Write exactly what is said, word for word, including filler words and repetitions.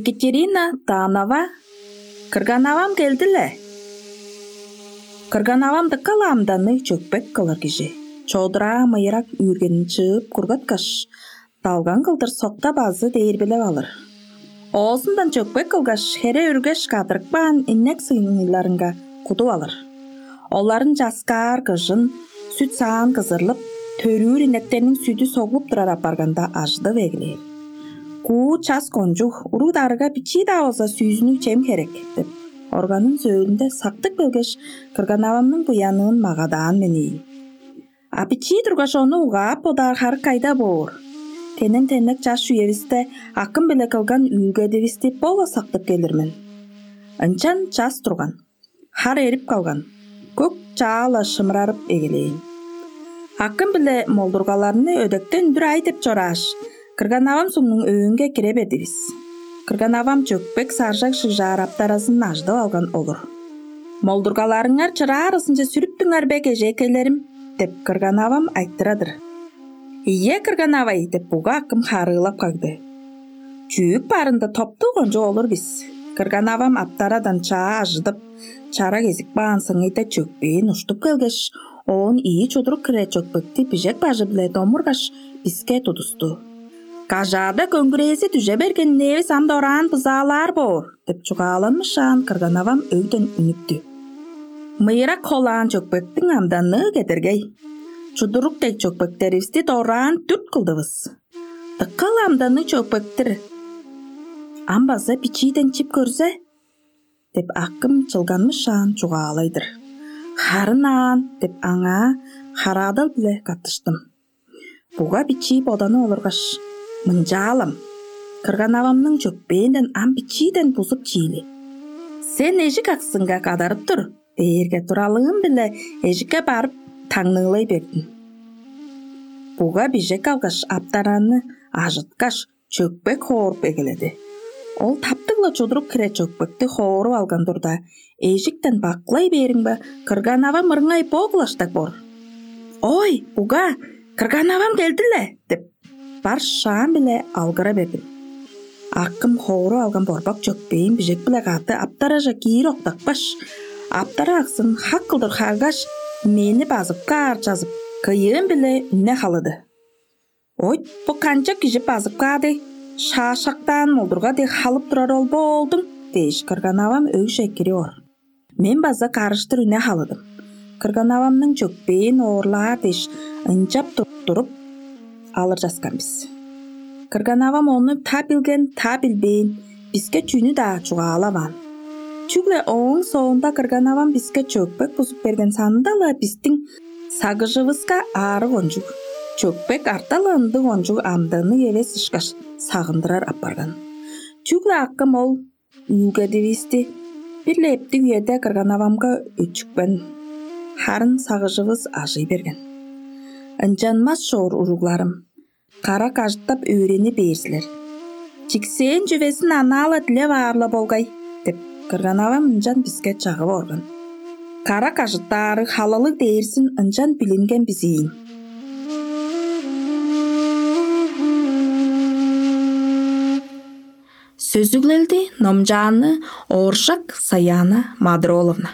Екатерина Данова. «Кырган-авам келди-ле». Кырган-авам дыка-ла амданныг, чөкпек кылыр кижи. Чодураа мыйырак үүргенин чыып кургаткаш, далган кылдыр соктап азы дээрбелеп алыр. Оозундан чөкпек кылгаш, хере үргеш кадырып каан инек сыйныыларынга кудуп алыр. Оларын часкаар кыжын, сүт-саан кызырлып, төрүүр инектерниң сүдү соглуп турар апарганда ажыдып эгелээр. Куу час кончуг, уруг-дарыга бичии-даа болза сүүзүннүг чем херек деп, органын сөөлүнде сактып келгеш, кырган-авамның буянын магадаан мен ийин. А бичии тургаш, ону угаап бодаар харык кайда боор? Тенен-теннек чаш үевисте акым-биле кылган үүлгедивисти бо-ла сактып келир мен. Ынчан час турган, хар эрип калган, көк чаа-ла шымырарып эгелээн. Акым-биле молдургаларны өдектен үндүр ай деп чорааш, кырган-авам сугнуң өөнге кире бердивис. Кырган-авам чөкпек саржак шыгжаар аптаразын ажыдып алган олур. «Молдургаларыңар чыраарызынче сүрүптүңер бе, кежээкейлерим?» — деп кырган-авам айтырар-дыр. «Ийе, кырган-авай», — деп буга акым харыылап кагды. Чүүк барында топтуг кончуг олур бис. Кырган-авам аптарадан чаа ажыдып, чара кезип каан сыңыйда чөкпээн уштуп келгеш, оон ийи чудурук хире чөкпекти бижек бажы-биле домургаш, биске тудусту. «Кажаада көңгүрээзи дүже берген инээвис ам дораан бызаалаар боор» — деп чугааланмышаан, кырган-авам өгден үнүптү. «Мыйырак холаан чөкпектиң амданныы кедергей. Чудурук дег чөкпектеривисти дораан дүрт кылдывыс. Дыка-ла амданныг чөкпек-тир. Ам база бичииден чип көрзе» — деп акым чылганмышаан чугаалай-дыр. «Харын аан» — деп аңаа хараадал-биле каттыштым. Буга бичии боданып олургаш, мынчаалам: «Кырган-авамның чөкпээнден ам бичииден бузуп чиили. Сен эжик аксынга кадарып тур» — дээрге, туралыым-биле эжикке барып, таңныылай бердим. Буга бижек алгаш, аптараны ажыткаш, чөкпек хооруп эгеледи. Ол таптыг-ла чудурук хире чөкпекти хооруп алган турда, эжиктен бакылай бээримге, кырган-авам ырыңай бо кылаштаг боор. «Ой, буга, кырган-авам келди-ле!» — деп, бар шаам-биле алгыра бердим. Акым хооруп алган борбак чөкпээн бижек-биле кады аптаража киир октапкаш, аптара аксын хак кылдыр харгаш, мени базып каар чазып, кыйыым-биле үне халыды. «Ойт, бо канчап кижи базып каар дег, шаашактаан молдурга дег халып турар ол бо оолдуң?» — дээш, кырган-авам өгже кирип ор. Мен база карыштыр үне халыдым. Кырган-авамның чөкпээн оорлаар дээш, ынчап тур- туруп алыр часкан бис. Кырган-авам ону та билген, та билбээн, биске чүнү-даа чугаалаваан. Чүгле ооң соонда кырган-авам биске чөкпек бузуп берген санында-ла бистиң сагыжывыска аарыг кончуг, чөкпек арта-ла ындыг кончуг амданныг эвес ышкаш сагындырар апарган. Чүгле акым ол үүлгедивисти бир-ле эптиг үеде кырган-авамга өчүкпен, харын сагыжывыс ажый берген. Ынчанмас чоор, уругларым, кара кажыттап өөрени бээр силер. «Чиксээн чүвезин анаа-ла дилеп аар-ла болгай» — деп, кырган-авам ынчан биске чагып орган. Кара кажыттаары халалыг дээрзин ынчан билинген бис ийин. Сөзүглелди номчааны Ооржак Саяна Мадроловна.